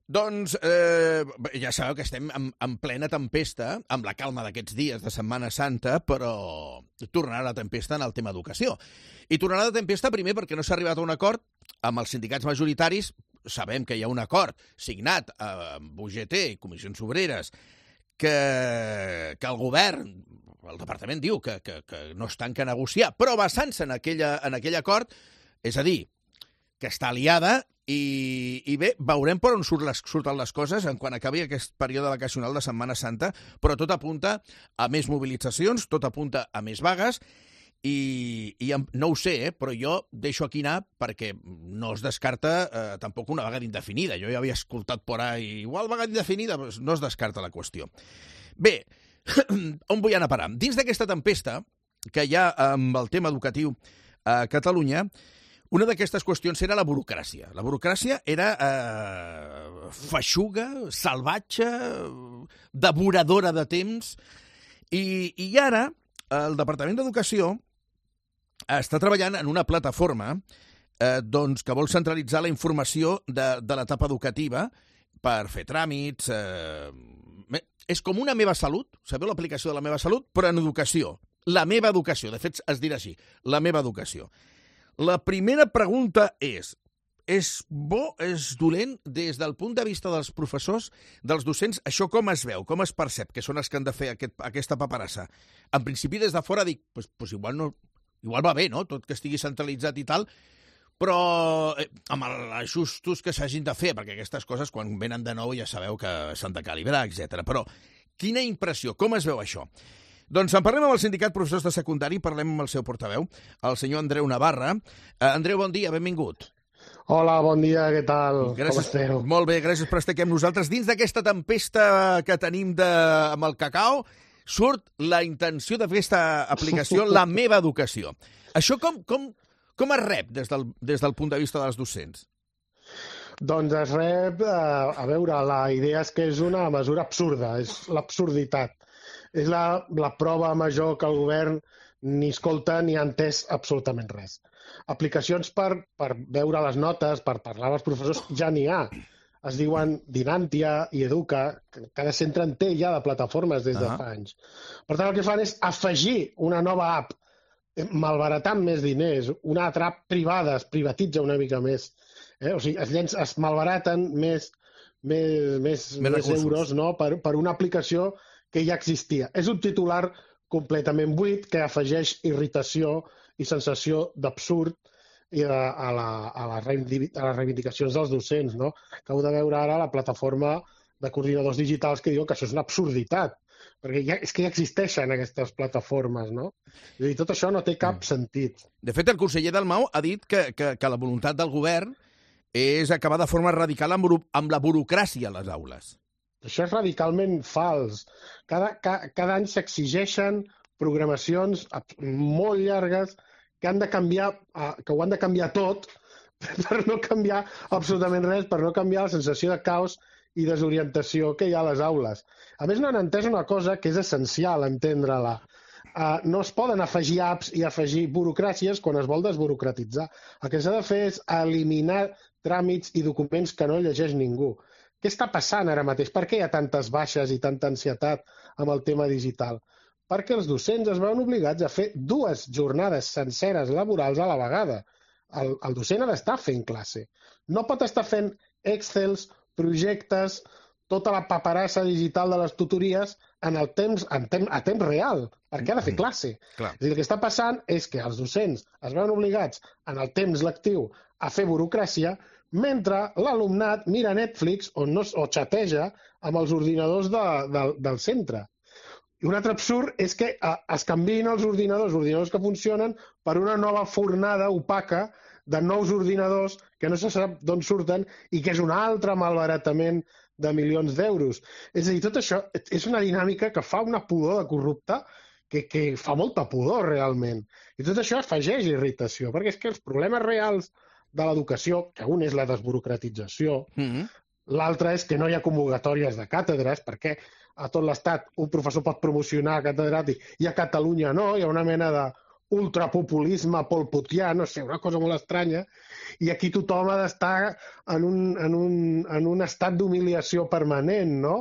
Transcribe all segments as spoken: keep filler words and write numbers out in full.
Doncs eh, ja sabeu que estem en, en plena tempesta, amb la calma d'aquests dies de Setmana Santa, però tornarà la tempesta en el tema educació. I tornarà la tempesta primer perquè no s'ha arribat a un acord amb els sindicats majoritaris. Sabem que hi ha un acord signat amb U G T i Comissions Obreres que, que el govern, el departament diu que, que, que no es tanca a negociar, però basant-se en, aquella, en aquell acord, és a dir, que està aliada. I, i bé, veurem per on surt les, surten les coses en quan acabi aquest període vacacional de Setmana Santa, però tot apunta a més mobilitzacions, tot apunta a més vagues, i, i no ho sé, eh, però jo deixo aquí anar perquè no es descarta eh, tampoc una vaga indefinida. Jo ja havia escoltat por ahí, igual vaga indefinida, doncs no es descarta la qüestió. Bé, on vull anar a parar? Dins d'aquesta tempesta que hi ha amb el tema educatiu a Catalunya, una d'aquestes qüestions era la burocràcia. La burocràcia era eh, feixuga, salvatge, devoradora de temps, i, i ara el Departament d'Educació està treballant en una plataforma eh, doncs, que vol centralitzar la informació de, de l'etapa educativa per fer tràmits. Eh, és com una Meva Salut, sabeu l'aplicació de la Meva Salut, però en educació. La Meva Educació, de fet es dirà així, la Meva Educació. La primera pregunta és, és bo, és dolent, des del punt de vista dels professors, dels docents, això com es veu, com es percep, que són els que han de fer aquest, aquesta paperassa? En principi, des de fora dic, pues, pues igual, no, igual va bé, no?, tot que estigui centralitzat i tal, però eh, amb els ajustos que s'hagin de fer, perquè aquestes coses, quan venen de nou, ja sabeu que s'han de calibrar, etcètera. Però quina impressió, com es veu això? Doncs en parlem amb el sindicat professors de secundari, parlem amb el seu portaveu, el senyor Andreu Navarra. Uh, Andreu, bon dia, benvingut. Hola, bon dia, què tal? Gràcies, com esteu? Molt bé, gràcies per estar aquí amb nosaltres. Dins d'aquesta tempesta que tenim de, amb el cacau, surt la intenció de fer aquesta aplicació, La Meva Educació. Això com, com, com es rep des del, des del punt de vista dels docents? Doncs es rep, eh, a veure, la idea és que és una mesura absurda, és l'absurditat. És la, la prova major que el govern ni escolta ni ha entès absolutament res. Aplicacions per, per veure les notes, per parlar amb els professors, ja n'hi ha. Es diuen Dinantia i Educa, cada centre en té ja de plataformes des de uh-huh. fa anys. Per tant, el que fan és afegir una nova app, malbaratant més diners, una altra app privada, es privatitza una mica més. Eh? O sigui, es, llenç, es malbaraten més, més, més, més, més euros, no?, per, per una aplicació que ja existia. És un titular completament buit que afegeix irritació i sensació d'absurd a, a, la, a, les reivindicacions dels docents, no? Que heu de veure ara la plataforma de coordinadors digitals que diuen que això és una absurditat, perquè ja, és que ja existeixen aquestes plataformes, no? És a dir, tot això no té cap mm. sentit. De fet, el conseller Dalmau ha dit que, que, que la voluntat del govern és acabar de forma radical amb, amb la burocràcia a les aules. Això és radicalment fals. Cada, ca, cada any s'exigeixen programacions molt llargues que han de canviar, que ho han de canviar tot per no canviar absolutament res, per no canviar la sensació de caos i desorientació que hi ha a les aules. A més, no han entès una cosa que és essencial entendre-la. Uh, no es poden afegir apps i afegir burocràcies quan es vol desburocratitzar. El que s'ha de fer és eliminar tràmits i documents que no llegeix ningú. Què està passant ara mateix? Per què hi ha tantes baixes i tanta ansietat amb el tema digital? Perquè els docents es veuen obligats a fer dues jornades senceres laborals a la vegada. El, el docent ha d'estar fent classe. No pot estar fent Excels, projectes, tota la paperassa digital de les tutories en el temps, en temps, a temps real, perquè ha de fer classe. Clar. És a dir, el que està passant és que els docents es veuen obligats en el temps lectiu a fer burocràcia, mentre l'alumnat mira Netflix o, no, o xateja amb els ordinadors de, de, del centre. I un altre absurd és que eh, es canviïn els ordinadors, ordinadors que funcionen, per una nova fornada opaca de nous ordinadors que no se sap d'on surten i que és un altre malbaratament de milions d'euros. És a dir, tot això és una dinàmica que fa una pudor de corrupte que, que fa molta pudor realment. I tot això afegeix irritació, perquè és que els problemes reals de l'educació, que un és la desburocratització, mm-hmm. l'altre és que no hi ha convocatòries de càtedres, perquè a tot l'estat un professor pot promocionar a catedràtic i a Catalunya no, hi ha una mena de ultrapopulisme polputià, no sé, una cosa molt estranya, i aquí tothom ha d'estar en un, en un, en un estat d'humiliació permanent, no?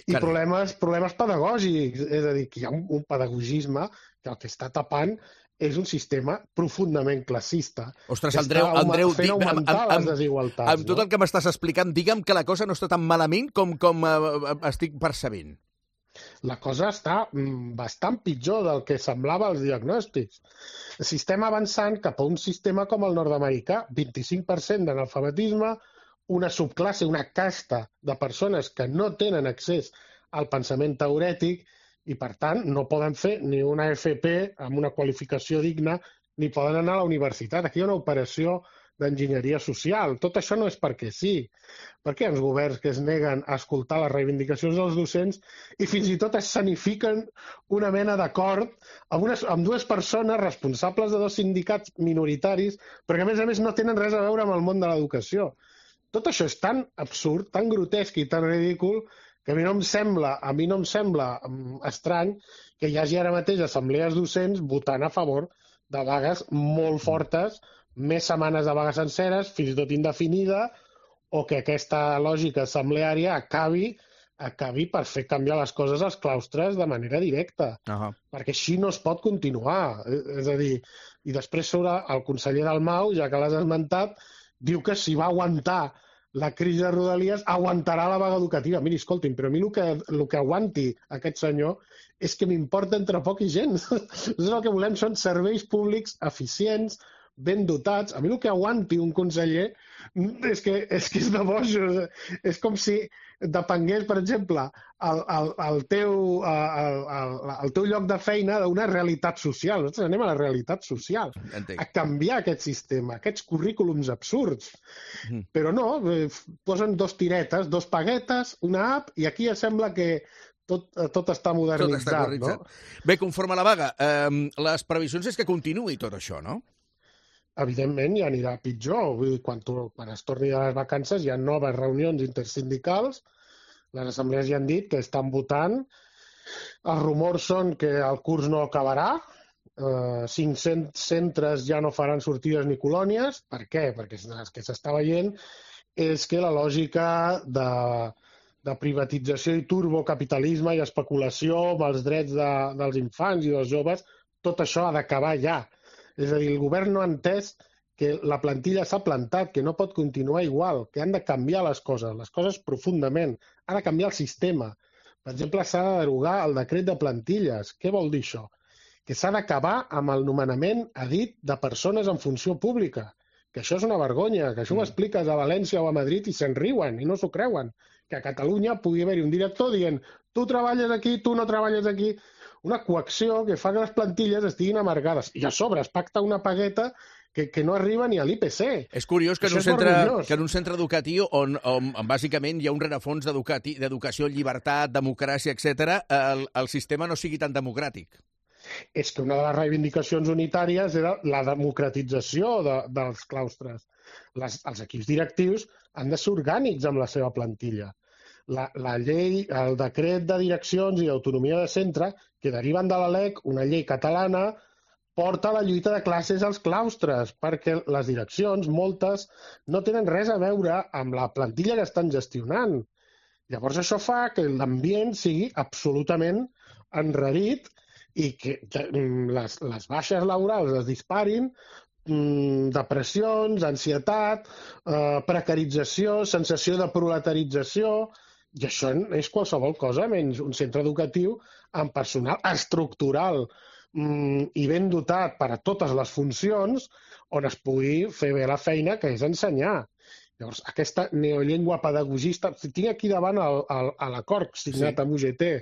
I Carai. problemes, problemes pedagògics, és a dir, que hi ha un, un pedagogisme que el que està tapant és un sistema profundament classista. Ostres, que Andreu, està Andreu, fent di- amb, augmentar amb, les amb, desigualtats. amb tot no? el que m'estàs explicant, digue'm que la cosa no està tan malament com, com uh, estic percebent. La cosa està mm, bastant pitjor del que semblava als diagnòstics. El sistema avançant cap a un sistema com el nord-americà, vint-i-cinc per cent d'analfabetisme, una subclasse, una casta de persones que no tenen accés al pensament teorètic i, per tant, no poden fer ni una F P amb una qualificació digna ni poden anar a la universitat. Aquí hi ha una operació d'enginyeria social. Tot això no és perquè sí. Per què els governs que es neguen a escoltar les reivindicacions dels docents i fins i tot escenifiquen una mena d'acord amb, unes, amb dues persones responsables de dos sindicats minoritaris, perquè a més a més no tenen res a veure amb el món de l'educació? Tot això és tan absurd, tan grotesc i tan ridícul que a mi no em sembla, a mi no em sembla um, estrany que hi hagi ara mateix assemblees docents votant a favor de vagues molt fortes, més setmanes de vagues senceres, fins i tot indefinida, o que aquesta lògica assembleària acabi, acabi per fer canviar les coses als claustres de manera directa. Uh-huh. Perquè així no es pot continuar. És a dir, i després sobre el conseller Dalmau, ja que l'has esmentat, diu que si va aguantar la crisi de Rodalies, aguantarà la vaga educativa. Miri, escolti'm, però a mi el que, el que aguanti aquest senyor és que m'importa entre poc i gens. Nosaltres el que volem són serveis públics eficients, ben dotats. A mi el que aguanti un conseller és que és, que és de bojos. És com si depengués, per exemple, el, el, el, teu, el, el, el teu lloc de feina d'una realitat social. Nosaltres anem a la realitat social, Entenc. a canviar aquest sistema, aquests currículums absurds. Mm. Però no, eh, posen dos tiretes, dos paguetes, una app, i aquí ja sembla que tot, tot està modernitzat. Tot està modernitzat. No? Bé, conforme a la vaga, eh, les previsions és que continuï tot això, no? Evidentment ja anirà pitjor. Vull dir, quan, tu, quan es torni de les vacances hi ha noves reunions intersindicals, les assemblees ja han dit que estan votant, els rumors són que el curs no acabarà, eh, cinc-cents centres ja no faran sortides ni colònies. Per què? Perquè el que s'està veient és que la lògica de, de privatització i turbocapitalisme i especulació amb els drets de, dels infants i dels joves, tot això ha d'acabar ja. És a dir, el govern no ha entès que la plantilla s'ha plantat, que no pot continuar igual, que han de canviar les coses, les coses profundament. Ha de canviar el sistema. Per exemple, s'ha de derogar el decret de plantilles. Què vol dir això? Que s'ha d'acabar amb el nomenament a dit de persones en funció pública. Que això és una vergonya, que això ho expliques a València o a Madrid i se'n riuen i no s'ho creuen. Que a Catalunya pugui haver-hi un director dient tu treballes aquí, tu no treballes aquí. Una coacció que fa que les plantilles estiguin amargades. I a sobre es pacta una pagueta que, que no arriba ni a l'I P C. És curiós que en, Això un és centre, vergonyós. que en un centre educatiu on, on, on bàsicament hi ha un rerefons d'educació, llibertat, democràcia, etcètera, el, el sistema no sigui tan democràtic. És que una de les reivindicacions unitàries era la democratització de, dels claustres. Les, els equips directius han de ser orgànics amb la seva plantilla. La, la llei, el decret de direccions i autonomia de centre, que deriven de la L E C, una llei catalana, porta la lluita de classes als claustres, perquè les direccions, moltes, no tenen res a veure amb la plantilla que estan gestionant. Llavors això fa que l'ambient sigui absolutament enrarit i que les, les baixes laborals es disparin, depressions, ansietat, eh, precarització, sensació de proletarització. I això és qualsevol cosa menys un centre educatiu amb personal estructural mm, i ben dotat per a totes les funcions on es pugui fer bé la feina, que és ensenyar. Llavors, aquesta neollengua pedagogista... Tinc aquí davant l'acord signat sí. amb U G T.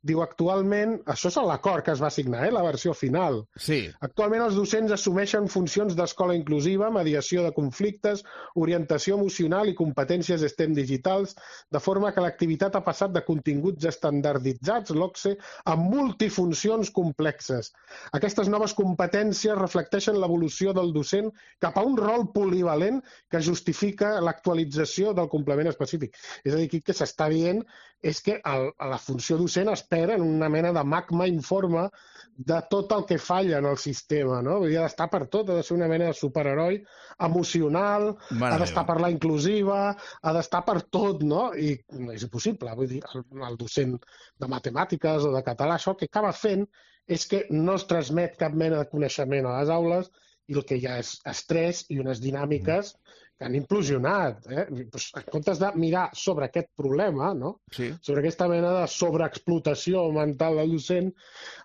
Diu, actualment, això és l'acord que es va signar, eh, la versió final. Sí. Actualment els docents assumeixen funcions d'escola inclusiva, mediació de conflictes, orientació emocional i competències STEM digitals, de forma que l'activitat ha passat de continguts estandarditzats, l'O C S E, a multifuncions complexes. Aquestes noves competències reflecteixen l'evolució del docent cap a un rol polivalent que justifica l'actualització del complement específic. És a dir, aquí el que s'està dient és que el, la funció docent es expert en una mena de magma informe de tot el que falla en el sistema, no? Vull dir, ha d'estar per tot, ha de ser una mena de superheroi emocional, Mare ha d'estar meva. per la inclusiva, ha d'estar per tot, no? I no és impossible, vull dir, el, el docent de matemàtiques o de català, això el que acaba fent és que no es transmet cap mena de coneixement a les aules i el que hi ha és estrès i unes dinàmiques que han implosionat. Eh? Pues, en comptes de mirar sobre aquest problema, no? Sí. Sobre aquesta mena de sobreexplotació mental del docent,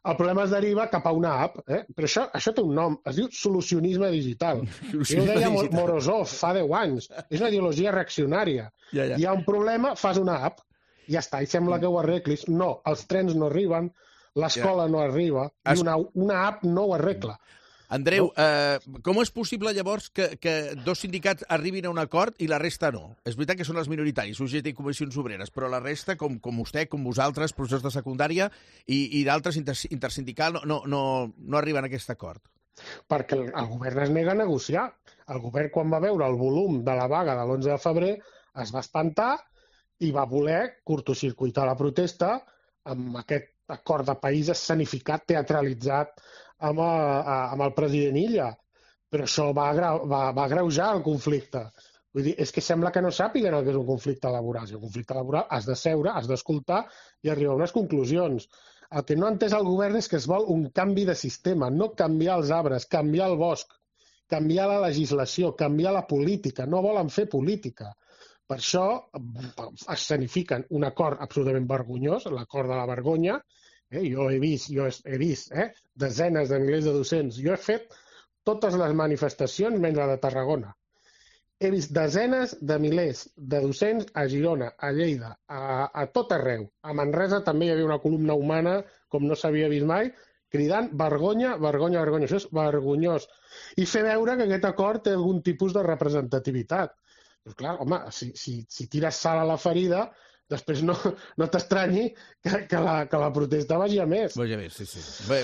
el problema es deriva cap a una app. Eh? Però això, això té un nom, es diu solucionisme digital. Jo ho deia Digital. Morozov fa deu anys. És una ideologia reaccionària. Ja, ja. Hi ha un problema, fas una app. Ja està, i sembla que ho arreglis. No, els trens no arriben, l'escola no arriba, Es- i una, una app no ho arregla. Andreu, eh, com és possible llavors que, que dos sindicats arribin a un acord i la resta no? És veritat que són els minoritaris, U G T i Comissions Obreres, però la resta, com, com vostè, com vosaltres, professors de secundària i, i d'altres inter, intersindical, no, no, no, no arriben a aquest acord. Perquè el, el govern es nega a negociar. El govern, quan va veure el volum de la vaga de l'onze de febrer, es va espantar i va voler curtocircuitar la protesta amb aquest acord de país escenificat, teatralitzat amb, a, amb el president Illa. Però això va, va, va agreujar el conflicte. Vull dir, és que sembla que no sàpiguen el que és un conflicte laboral. Si un conflicte laboral has de seure, has d'escoltar i arribar a unes conclusions. El que no ha entès el govern és que es vol un canvi de sistema, no canviar els arbres, canviar el bosc, canviar la legislació, canviar la política. No volen fer política. Per això escenifiquen un acord absolutament vergonyós, l'acord de la vergonya. Eh? Jo he vist, jo he vist eh? desenes de milers de docents. Jo he fet totes les manifestacions menys la de Tarragona. He vist desenes de milers de docents a Girona, a Lleida, a, a tot arreu. A Manresa també hi havia una columna humana com no s'havia vist mai, cridant vergonya, vergonya, vergonya. Això és vergonyós. I fer veure que aquest acord té algun tipus de representativitat. Però clar, home, si, si, si tires sal a la ferida, després no, no t'estranyi que, que, la, que la protesta vagi a més. Vaja bé, sí, sí. Bé,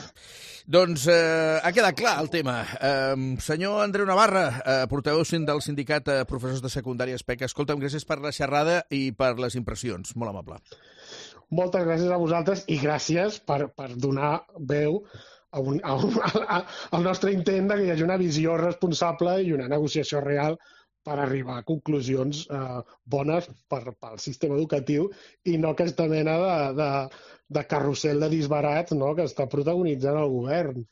doncs eh, ha quedat clar el tema. Eh, senyor Andreu Navarra, eh, portaveu del sindicat eh, professors de secundària S P E C, escolta'm, gràcies per la xerrada i per les impressions. Molt amable. Moltes gràcies a vosaltres i gràcies per, per donar veu a un, a un, a, al nostre intent de que hi hagi una visió responsable i una negociació real per arribar a conclusions eh, bones per, pel sistema educatiu i no aquesta mena de, de, de carrusel de disbarats, no?, que està protagonitzant el govern.